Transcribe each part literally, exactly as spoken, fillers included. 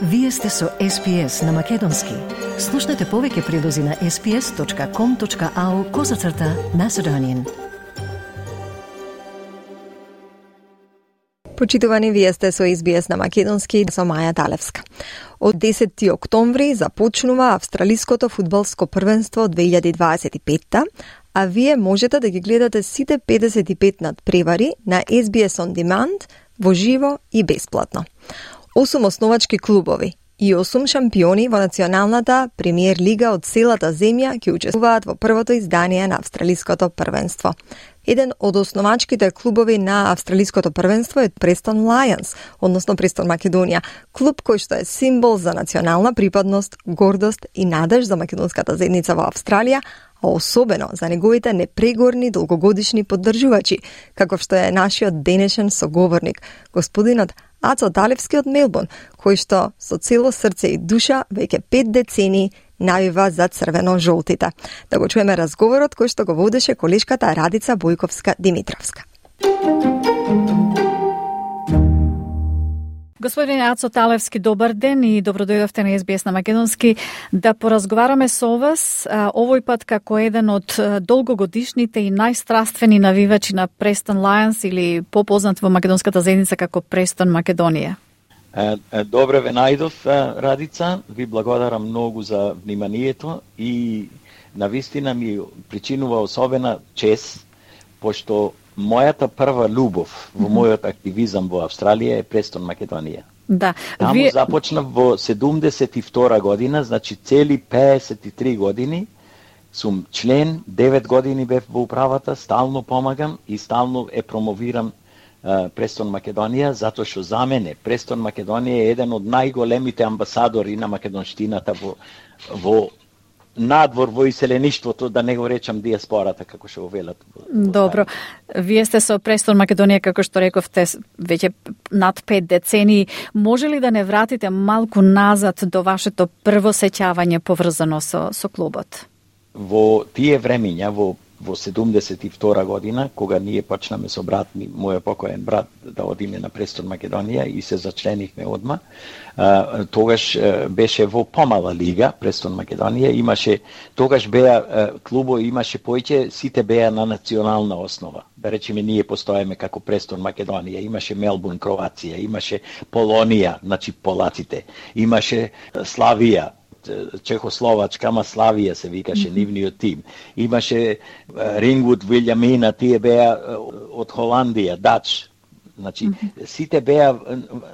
Вие сте со Ес Би Ес на Македонски. Слушнете повеќе прилози на ес би ес точка ком точка ау козацрта Macedonian. Почитувани, вие сте со Ес Би Ес на Македонски со Маја Талевска. Од десети октомври започнува австралиското фудбалско првенство две илјади дваесет и петта, а вие можете да ги гледате сите педесет и пет надпревари на Ес Би Ес On Demand во живо и бесплатно. Осум основачки клубови и осум шампиони во националната премиер лига од целата земја ќе учествуваат во првото издание на австралиското првенство. Еден од основачките клубови на австралиското првенство е Престон Лајонс, односно Престон Македонија, клуб кој што е символ за национална припадност, гордост и надеж за македонската заедница во Австралија, а особено за неговите непрегорни долгогодишни поддржувачи, како што е нашиот денешен соговорник, господинот Ацо Талевски од Мелбурн, кој што со цело срце и душа веќе пет децении навива за црвено-жолтите. Да го чуеме разговорот кој што го водеше колешката Радица Бојковска-Димитровска. Господин Ацо Талевски, добар ден и добродојдовте на Ес Би Ес на Македонски да поразговараме со вас овој пат како еден од долгогодишните и најстраствени навивачи на Престон Лајонс или попознат во македонската заедница како Престон Македонија. Добре ве најдов, Радица. Ви благодарам многу за вниманието и навистина ми причинува особена чест, пошто мојата прва љубов во мојот активизам во Австралија е Престон Македонија. Да. Таму Вие... започнав во седумдесет и втора година, значи цели пеесет и три години сум член, девет години бев во управата, стално помагам и стално е промовирам uh, Престон Македонија, затоа што за мене Престон Македонија е еден од најголемите амбасадори на македонштината во, во надвор во иселеништвото, да не го речам диаспората, како што го велат. Добро. Вие сте со Престон Македонија, како што рековте, веќе над пет децении. Може ли да не вратите малку назад до вашето прво сеќавање поврзано со, со клубот? Во тие времиња, во во седумдесет и втора година, кога ние почнаме со брат ми, мојот покоен брат, да одиме на Престон Македонија и се зачленихме одма, а, тогаш а, беше во помала лига, Престон Македонија, имаше, тогаш беа клубо, имаше поиќе, сите беа на национална основа. Да речеме, ние постоеме како Престон Македонија, имаше Мелбурн, Кроација, имаше Полонија, значи полаците, имаше Славија, Чехословачка, ама Славија се викаше, нивниот тим. Имаше Рингвуд, Вилјамина, тие беа од Холандија, Дач. Значи, сите беа,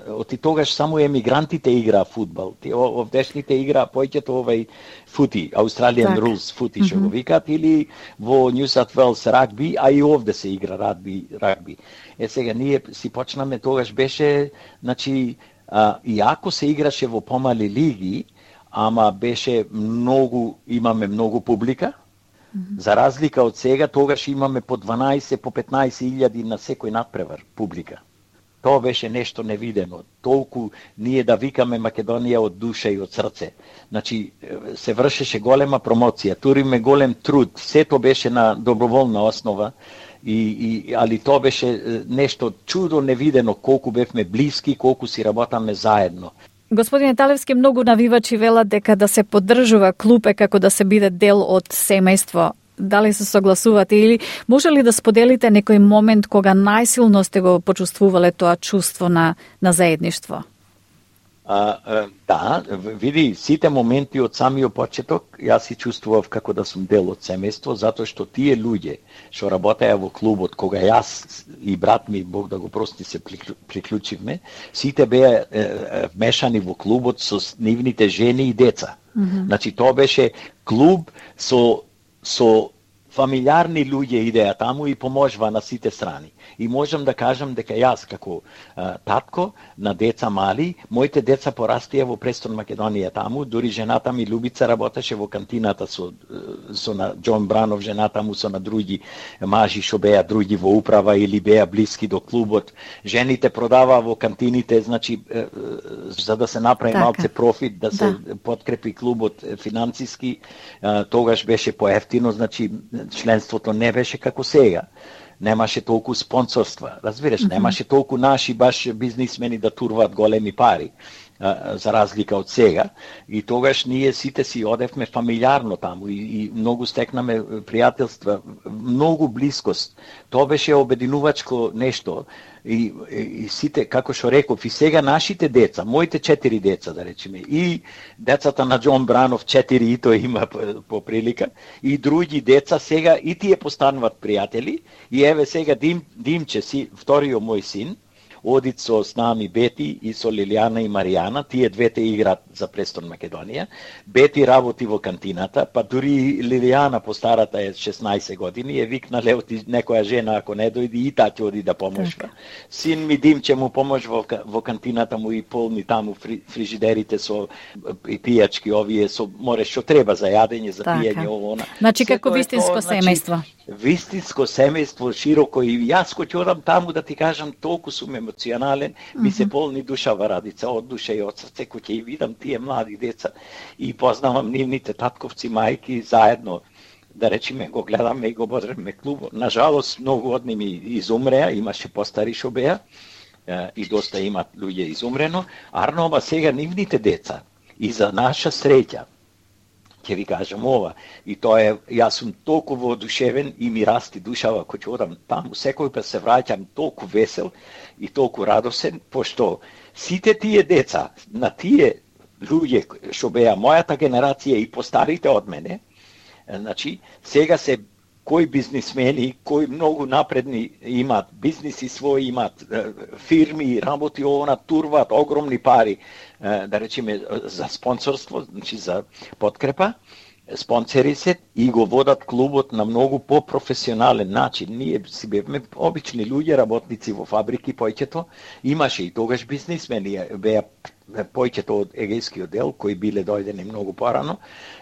од тогаш само емигрантите играа фудбал. Овдешните играа појќето овај фути, Australian Rules фути, што го викат, или во New South Wales рагби, а и овде се игра рагби. рагби. Е, сега, ние си почнаме, тогаш беше, значи, а, и ако се играше во помали лиги, ама беше многу, имаме многу публика. Mm-hmm. За разлика од сега, тогаш имаме по дванаесет, по петнаесет илјади на секој надпревар публика. Тоа беше нешто невидено. Толку ние да викаме Македонија од душа и од срце. Значи, се вршеше голема промоција, туриме голем труд, сето беше на доброволна основа, и, и, али тоа беше нешто чудо невидено, колку бевме блиски, колку си работаме заедно. Господине Талевски, многу навивачи велат дека да се поддржува клуб е како да се биде дел од семејство. Дали се согласувате или може ли да споделите некој момент кога најсилно сте го почувствувале тоа чувство на, на заедништво? А, а, да, види, сите моменти од самиот почеток, јас си чувствував како да сум дел од семејство, затоа што тие луѓе што работеа во клубот, кога јас и брат ми, Бог да го прости, се приклучивме, сите беа е, вмешани во клубот со нивните жени и деца. Mm-hmm. Значи, тоа беше клуб со, со фамилиарни луѓе идеа таму и поможува на сите страни. И можам да кажам дека јас како а, татко на деца мали, моите деца порастија во Престон Македонија таму, дури жената ми Любица работеше во кантината со со на Џон Бранов, жената му со на други мажи што беа други во управа или беа блиски до клубот. Жените продаваа во кантините, значи за да се направи така малце профит, да се да. подкрепи клубот финансиски, тогаш беше поевтино, значи членството не беше како сега. Немаше толку спонсорства, разбираш, mm-hmm. немаше толку наши баш бизнисмени да турваат големи пари. за разлика од сега, и тогаш ние сите си одевме фамилиарно таму и, и многу стекнаме пријателства, многу блискост. Тоа беше обединувачко нешто и, и, и сите, како што реков, и сега нашите деца, моите четири деца, да речеме, и децата на Џон Бранов, четири, и тој има по, по прилика, и други деца сега и тие постануваат пријатели, и еве сега Дим, Димче, си, вториот мој син, одит со с нами Бети и со Лилијана и Маријана, тие двете играат за Престон Македонија. Бети работи во кантината, па дури Лилијана, постарата е шеснаесет години, е викнале оти некоја жена ако не дојди и таа ќе оди да поможува. Син ми Димче му поможува во, во кантината му и полни таму фри, фрижидерите со и пијачки овие со море што треба за јадење, за пиење, ово она. Значи како вистинско семејство. Вистинско семејство, широко, и јас кој ќе одам таму да ти кажам, толку сум емоционален, mm-hmm. ми се полни душава радица, од душа и од срце, кој ќе и видам тие млади деца и познавам нивните татковци, мајки, заедно, да речеме, го гледаме и го бодреме клубот. Нажалост, многу од ними изумреа, имаше постари што беа, и доста имат луѓе изумрено, арно, ама сега нивните деца, и за наша среќа, ќе ви кажам ова, и тоа е, јас сум толку воодушевен и ми расти душава кој ќе одам таму, секој пат се враќам толку весел и толку радосен, пошто сите тие деца, на тие луѓе што беа мојата генерација и постарите од мене, значи, сега се кои бизнисмени, кои многу напредни имаат бизниси своји, имаат фирми, работи она, турваат огромни пари, да речеме, за спонсорство, значи за подкрепа, спонсори се и го водат клубот на многу по-професионален начин. Ние си бевме обични луѓе, работници во фабрики, појќето, имаше и тогаш бизнисмени, беа појќето од егејскиот дел, кои биле дојдени многу порано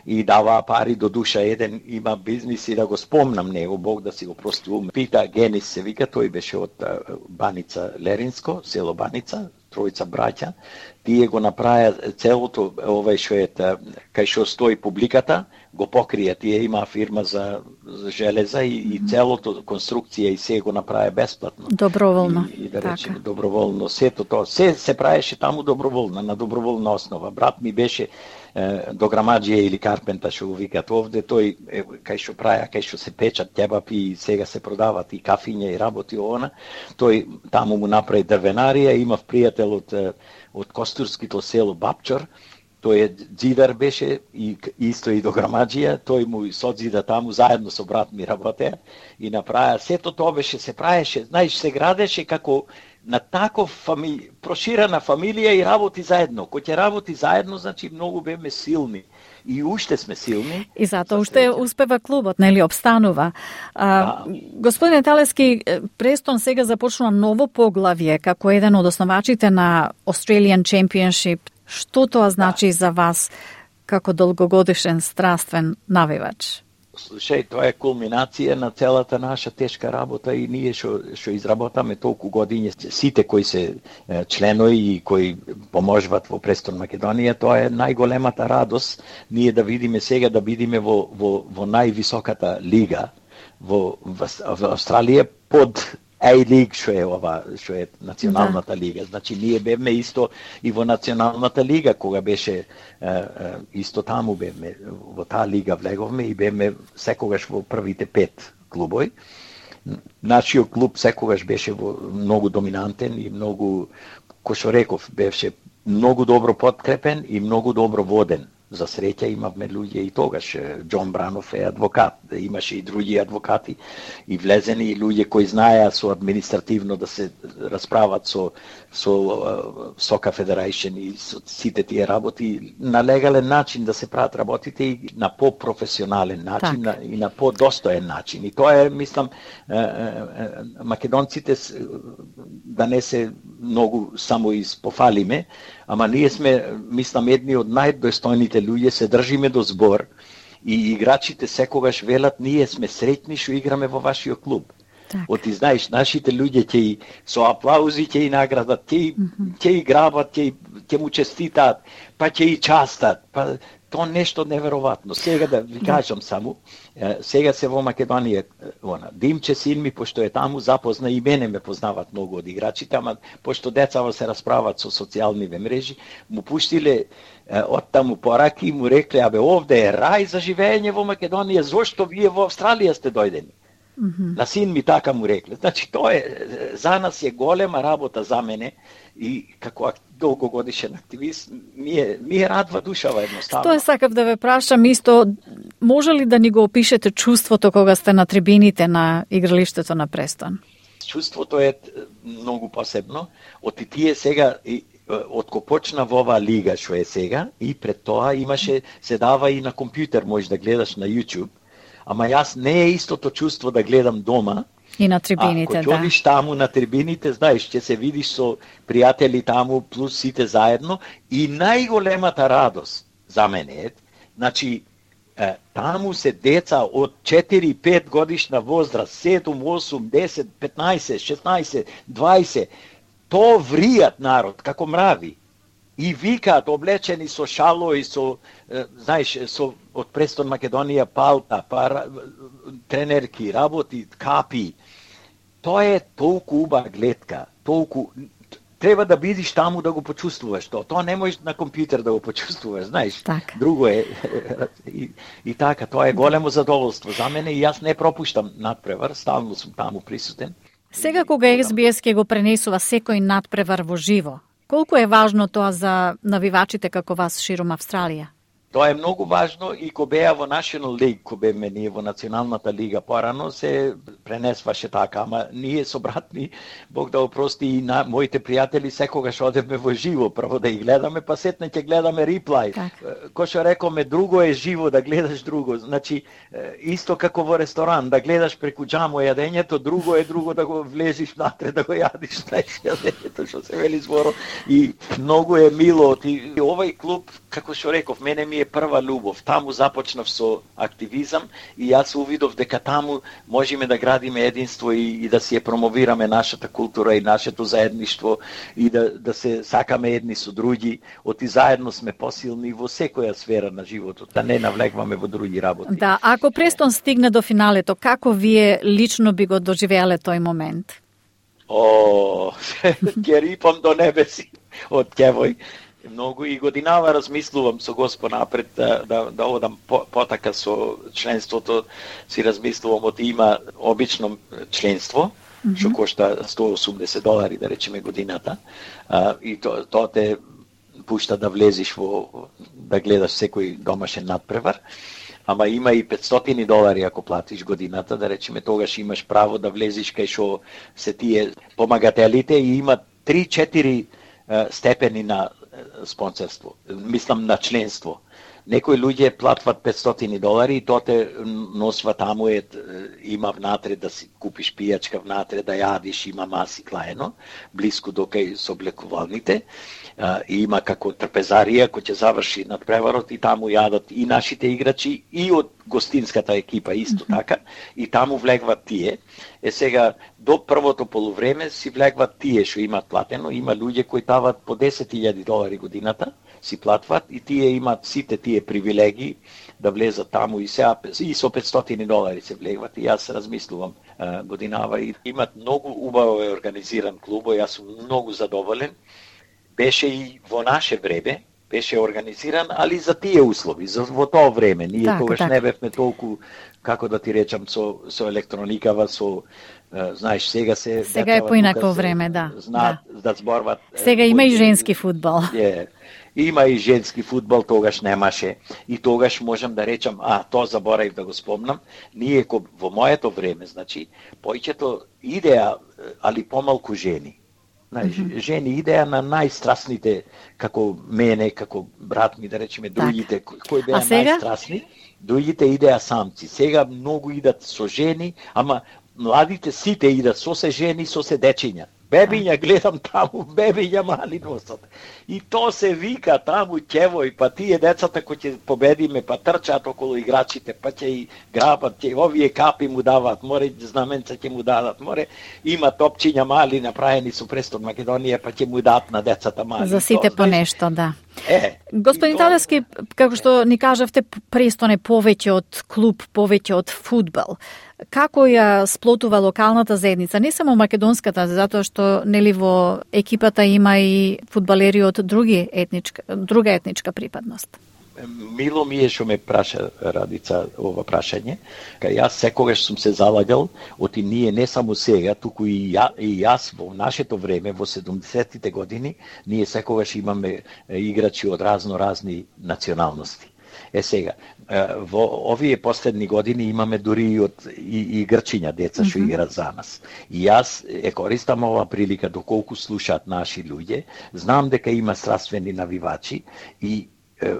и даваа пари до душа. Еден има бизнис и да го спомнам него, Бог да си го прости ум. Пита Генис се вика, тој беше од Баница Леринско, село Баница, тројца браќа. Тие го направија целото овај што е кај што стои публиката, го покрија. Тие има фирма за, за железа и, и целото конструкција и се го направија бесплатно. Доброволно. И, и да речеме доброволно. Сето тоа, се се правеше таму доброволно, на доброволна основа. Брат ми беше е, дограмаџија или карпента што го викат овде, тој е, кај што праја, кај што се печат ќебапи и сега се продават и кафиња и работи она. Тој таму му направи дрвенарија, имав пријател од од Костурското село Бапчор, тој е џидар беше и исто и дограмаџија, тој му созида таму заедно со брат ми работеа и направија сето тоа беше се праеше, знаеш, се градеше како на таков фами... проширена фамилија и работи заедно. Кој ќе работи заедно, значи многу беме силни. И уште сме силни. И затоа уште успева клубот, нели, обстанува. А, да. Господине Талевски, Престон сега започнува ново поглавје како еден од основачите на Australian Championship. Што тоа значи да. за вас како долгогодишен страствен навивач? Слушај, тоа е кулминација на целата наша тешка работа и ние што што изработаме толку години, сите кои се членови и кои поможуваат во Престон Македонија, тоа е најголемата радост ние да видиме сега да бидиме во во во највисоката лига во во, во Австралија под A-League, што е ова, што е националната да. лига. Значи, ние бевме исто и во националната лига, кога беше е, е, исто таму бевме, во таа лига влеговме и бевме секогаш во првите пет клубови. Нашиот клуб секогаш беше во многу доминантен и многу, кој што реков, беше многу добро подкрепен и многу добро воден. За среќа имавме луѓе и тогаш. Џон Бранов е адвокат, имаше и други адвокати и влезени и луѓе кои знаеа со административно да се расправат со со Сока Федерейшн и со сите тие работи на легален начин да се прават работите и на по-професионален начин на, и на по-достоен начин. И тоа е, мислам, македонците да не се многу само испофалиме, ама ние сме, мислам, едни од најдостојните луѓе, се држиме до збор и играчите секогаш велат, ние сме среќни што играме во вашиот клуб. Так. Оти знаеш, нашите луѓе ќе со аплаузи ќе и наградат, ќе mm -hmm. ќе играват, ќе ќе му честитаат, па ќе и частат, па то нешто неверојатно. Сега да ви кажам само, сега се во Македонија, она, Димче син ми, пошто е таму, запозна и мене ме познават многу од играчите, ама пошто децава се расправат со социјалниве мрежи, му пуштиле од таму пораки и му рекле, абе, овде е рај за живење во Македонија, зошто вие во Австралија сте дојдени? Mm-hmm. На син ми така му рекле. Значи, тоа е, за нас е голема работа за мене и како долгогодишен активист, ми е, ми е радва душава едноставно. Тоа сакав да ве прашам исто, може ли да ни го опишете чувството кога сте на трибините на игралиштето на Престон? Чувството е многу посебно. Од тие сега, од ко почна во оваа лига што е сега, и пред тоа имаше, се дава и на компјутер, можеш да гледаш на YouTube, ама јас не е истото чувство да гледам дома. И на трибините, а, да. Ако ќе таму на трибините, знаеш, ќе се видиш со пријатели таму, плюс сите заедно, и најголемата радост за мене е, значи, е, таму се деца од четири пет годишна возраст, седум, осум, десет, петнаесет, шеснаесет, дваесет, то вријат народ, како мрави. И викаат, облечени со шало и со, е, знаеш, со од Престон Македонија палта, па тренерки, работи, капи. Тоа е толку убава гледка, толку треба да бидиш таму да го почувствуваш тоа. Тоа не можеш на компјутер да го почувствуваш, знаеш. Так. Друго е и, и така, тоа е големо задоволство за мене и јас не пропуштам надпревар, стално сум таму присутен. Сега кога Ес Би Ес ќе го пренесува секој надпревар во живо, колку е важно тоа за навивачите како вас широм Австралија? Тоа е многу важно и ко беа во National League, ко беме ние во Националната лига порано, се пренесваше така, ама ние со брат ми, Бог да опрости, и на моите пријатели секогаш одевме во живо, прво да ги гледаме, па сетне ќе гледаме реплай. Кој што рекоме, друго е живо да гледаш друго, значи исто како во ресторан, да гледаш преку џамо јадењето, друго е друго да го влезиш внатре да го јадиш, знаеш, јадењето што се вели зборо, и многу е мило. И овој клуб, како што реков, мене ми е прва љубов. Таму започнав со активизам и јас увидов дека таму можеме да градиме единство и, и да си ја промовираме нашата култура и нашето заедништво и да, да се сакаме едни со други. Оти заедно сме посилни во секоја сфера на животот, да не навлегваме во други работи. Да, ако Престон стигне до финалето, како вие лично би го доживеале тој момент? О, ќе рипам до небеси од ќевој. Многу и годинава размислувам со Господ напред да, да, да одам по, потака со членството, си размислувам од има обично членство, mm-hmm. што кошта сто и осумдесет долари, да речеме, годината, а, и тоа то те пушта да влезиш во, да гледаш секој домашен надпревар, ама има и петстотини долари ако платиш годината, да речеме, тогаш имаш право да влезиш кај што се тие помагателите и има три-четири степени на спонсорство, мислам на членство. Некои луѓе платват петстотини долари и тоа те носва таму, е, има внатре да си купиш пијачка внатре, да јадиш, има маси клаено, блиску до кај соблекувалните, и има како трпезарија кој ќе заврши надпреварот и таму јадат и нашите играчи и од гостинската екипа исто mm-hmm. така, и таму влегват тие. Е сега, до првото полувреме си влегват тие што имат платено, има луѓе кои тават по десет илјади долари годината, си платват и тие имат сите тие привилегии да влезат таму и се и со петстотини долари се влегват. И јас размислувам а, годинава и имат многу убаво организиран клуб, јас сум многу задоволен. Беше и во наше време, беше организиран, али за тие услови, за во тоа време. Ние так, тогаш так. не бевме толку, како да ти речам, со, со електроникава, со, uh, знаеш, сега се... Сега е поинакво време, да. Знаат да, да зборват... Сега има и женски фудбал. Е, има и женски фудбал, тогаш немаше. И тогаш можам да речам, а, тоа заборавив да го спомнам, ние во моето време, значи, појќето идеја, али помалку жени. Знаеш, mm-hmm. жени идеја на најстрасните, како мене, како брат ми, да речеме, другите, кои беа најстрасни, другите идеја самци. Сега многу идат со жени, ама младите сите идат со се жени, со се дечиња. Бебиња гледам таму, бебиња мали носат. И то се вика таму ќевој, па тие децата кои ќе победиме, па трчаат околу играчите, па ќе и грабат, ќе овие капи му даваат, море знаменца ќе му дадат, море има топчиња мали направени со Престон Македонија, па ќе му дадат на децата мали. За сите по нешто, да. Е, Господин Талевски, како што ни кажавте, Престон е повеќе од клуб, повеќе од фудбал. Како ја сплотува локалната заедница, не само македонската, затоа што нели во екипата има и фудбалери од други етничка, друга етничка припадност? Мило ми е што ме праша Радица ова прашање. Кај јас секогаш сум се залагал, оти ние не само сега, туку и, ја, и јас во нашето време, во седумдесетите години, ние секогаш имаме играчи од разно-разни националности. Е сега, во овие последни години имаме дури и од и, и грчиња деца што mm-hmm. играат за нас. И јас е користам ова прилика доколку слушаат наши луѓе, знам дека има страствени навивачи и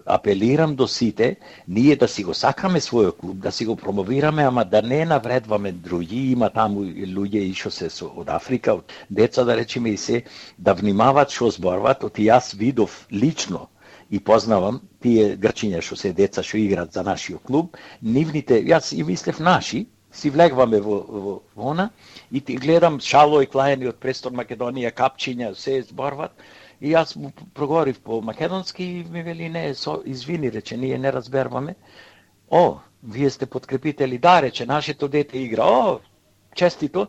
апелирам до сите, ние да си го сакаме својот клуб, да си го промовираме, ама да не навредваме други. Има таму луѓе и што се со, од Африка, од деца да речеме и се, да внимават што зборват. Оти јас видов лично и познавам тие грчиња што се деца што играат за нашиот клуб, нивните, јас и мислев наши, си влегваме во, во, во она и ти гледам шало и клајани од Престон Македонија, капчиња, се зборват. И јас му проговорив по македонски и ми вели не, со, извини, рече, ние не разберваме. О, вие сте подкрепители, да, рече, нашето дете игра, о, честито.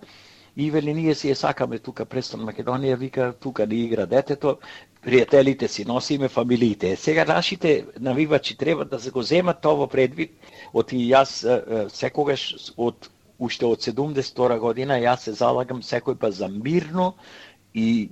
И вели, ние си ја сакаме тука Престон Македонија, вика, тука не игра детето, пријателите си носиме, фамилиите. Сега нашите навивачи треба да се го земат тоа предвид, оти јас секогаш од уште од седумдесет и втора година јас се залагам секој па за мирно и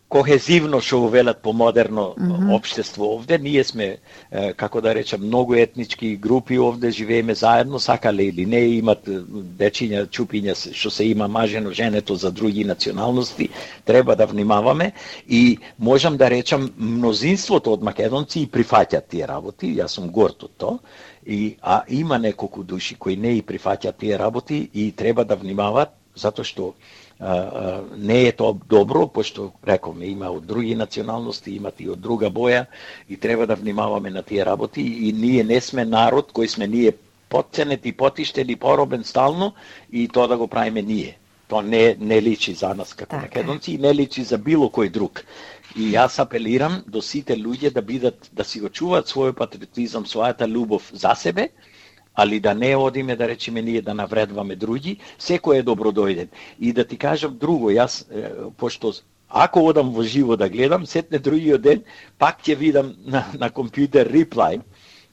кохезивно, што го велат по модерно mm-hmm. општество овде. Ние сме, е, како да речам, многу етнички групи овде, живееме заедно, сакале или не, имат дечиња, чупиња, што се има мажено, женето за други националности, треба да внимаваме и можам да речам, мнозинството од македонци и прифаќат тие работи, јас сум горд од тоа, и, а има неколку души кои не и прифаќат тие работи и треба да внимават, затоа што А, а, не е тоа добро, пошто рековме има од други националности, имат и од друга боја и треба да внимаваме на тие работи и ние не сме народ кој сме ние потценети, потиштени, поробен стално и тоа да го правиме ние. Тоа не, не личи за нас како така. Македонци и не личи за било кој друг. И јас апелирам до сите луѓе да бидат, да си го чуваат својот патриотизам, својата љубов за себе, али да не одиме, да речеме, ние да навредваме други, секој е добродојден. И да ти кажам друго, јас, пошто ако одам во живо да гледам, сетне другиот ден, пак ќе видам на, на компјутер реплай,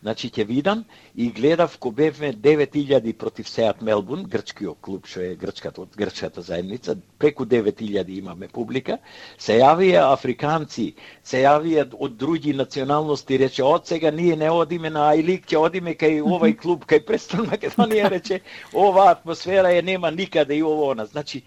значи ќе видам и гледав ко бевме девет илјади против Сеат Мелбурн, грчкиот клуб, што е грчката од грчката заедница, преку девет илјади имаме публика, се јавија африканци, се јавија од други националности, рече, од сега ние не одиме на Ајлик, ќе одиме кај овај клуб, кај Престон Македонија, рече, ова атмосфера е нема никаде и ово она. Значи,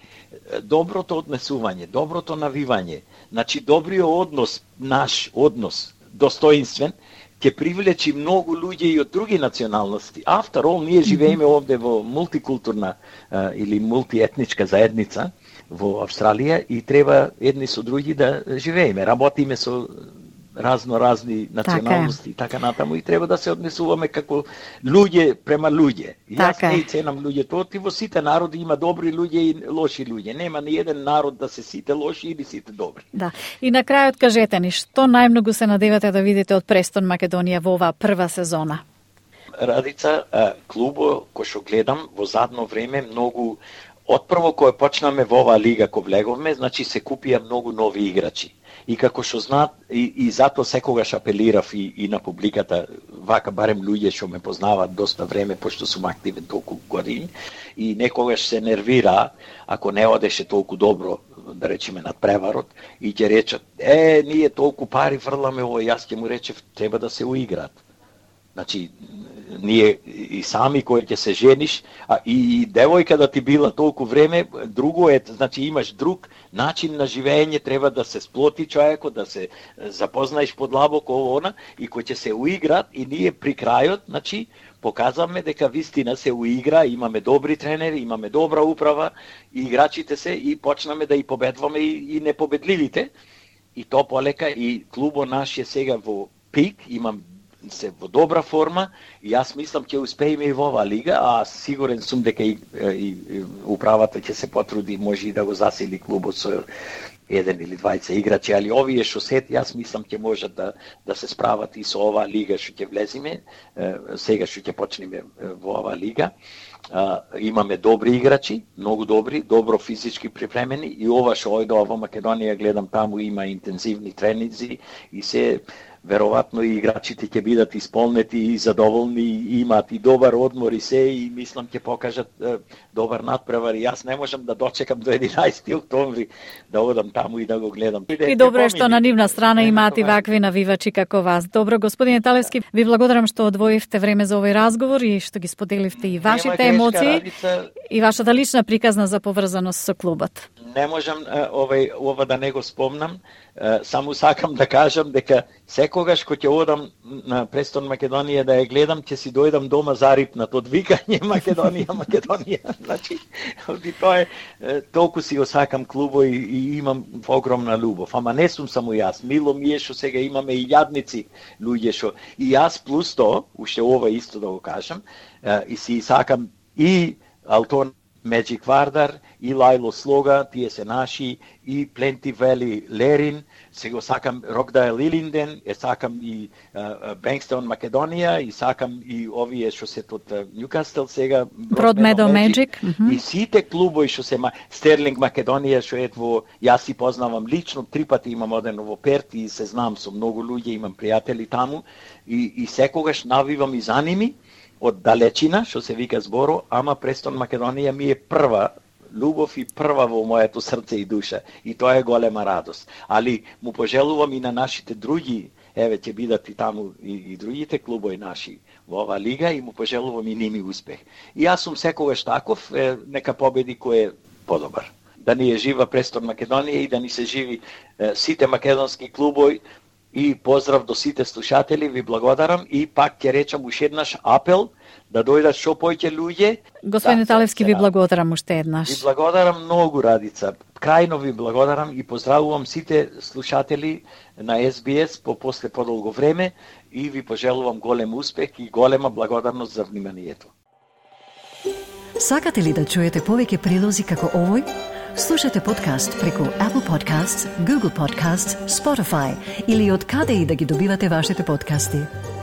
доброто однесување, доброто навивање, значи добриот однос, наш однос, достоинствен, ќе привлечи многу луѓе и од други националности. After all, ние живееме овде во мултикултурна а, или мултиетничка заедница во Австралија и треба едни со други да живееме. Работиме со разно-разни националности и така, така натаму и треба да се однесуваме како луѓе према луѓе. Јас не ценам луѓето, оти во сите народи има добри луѓе и лоши луѓе. Нема ни еден народ да се сите лоши или сите добри. Да. И на крајот кажете ни, што најмногу се надевате да видите од Престон Македонија во оваа прва сезона? Радица, клубо кој што гледам во задно време многу отпрво кога почнаме во оваа лига кој влеговме, значи се купија многу нови играчи. И како што знаат, и, и затоа секогаш апелирав и, и на публиката, вака барем луѓе што ме познаваат доста време, пошто сум активен толку години, и некогаш се нервира, ако не одеше толку добро, да речеме, над преварот, и ќе речат, е, ние толку пари фрламе ово, јас ќе му речев, треба да се уиграат. Значи, ние и сами кој ќе се жениш, а и девојка да ти била толку време, друго е, значи имаш друг начин на живење, треба да се сплоти човекот, да се запознаеш подлабоко ово она, и кој ќе се уиграат, и ние при крајот, значи, показваме дека вистина се уигра, имаме добри тренери, имаме добра управа, и играчите се, и почнаме да и победваме и, и непобедливите, и то полека, и клубо наш е сега во пик, имам се во добра форма и јас мислам ќе успееме и во оваа лига, а сигурен сум дека и, и, и управата ќе се потруди, може и да го засили клубот со еден или двајца играчи, али овие што сет, јас мислам ќе можат да да се справат и со оваа лига што ќе влеземе, сега што ќе почнеме во оваа лига. Uh, имаме добри играчи, многу добри, добро физички припремени и ова што ојде во Македонија, гледам таму има интензивни тренинзи и се веројатно и играчите ќе бидат исполнети и задоволни, и имаат и добар одмор и се, и мислам ќе покажат е, добар надпревар. И јас не можам да дочекам до единаесети октомври да одам таму и да го гледам. И добро е што на нивна страна имаат и вакви навивачи како вас. Добро, господине Талевски, ви благодарам што одвоивте време за овој разговор и што ги споделивте и вашите емоции Радица, и вашата лична приказна за поврзаност со клубот. Не можам овој ова да не го спомнам, само сакам да кажам дека секогаш кога ќе одам на Престон Македонија да ја гледам, ќе си дојдам дома зарипнат од викање Македонија, Македонија. Значи, и тоа е, толку си осакам клубо и, и имам огромна љубов. Ама не сум само јас. Мило ми е што сега имаме и јадници луѓе што и јас плюс тоа, уште ова исто да го кажам, и си сакам и Алтон Меджик Вардар, и Лајло Слога, тие се наши, и Пленти Вели Лерин, се го сакам Рокдайл Лилинден, е сакам и Бенкстон Македонија, и сакам и овие што се од Ньюкастел сега, Бродмедо Меджик, и сите клубови што се Стерлинг Македонија, што е во, јас си познавам лично, три пати имам одено во Перт и се знам со многу луѓе, имам пријатели таму, и, и секогаш навивам и за ними, од далечина, што се вика зборо, ама Престон Македонија ми е прва љубов и прва во моето срце и душа. И тоа е голема радост. Али му пожелувам и на нашите други, еве ќе бидат и таму и, и другите клубови наши во оваа лига, и му пожелувам и ними успех. И јас сум секогаш таков, е, нека победи кој е подобар. Да ни е жива Престон Македонија и да ни се живи е, сите македонски клубови. И поздрав до сите слушатели, ви благодарам и пак ќе речам уште еднаш апел да дојдат што поќе луѓе. Господин да, Талевски, ви благодарам уште еднаш. Ви благодарам многу, Радица. Крајно ви благодарам и поздравувам сите слушатели на Ес Би Ес по после подолго време и ви пожелувам голем успех и голема благодарност за вниманието. Сакате ли да чуете повеќе прилози како овој? Слушате подкаст преку Apple Podcasts, Google Podcasts, Spotify или од каде и да ги добивате вашите подкасти.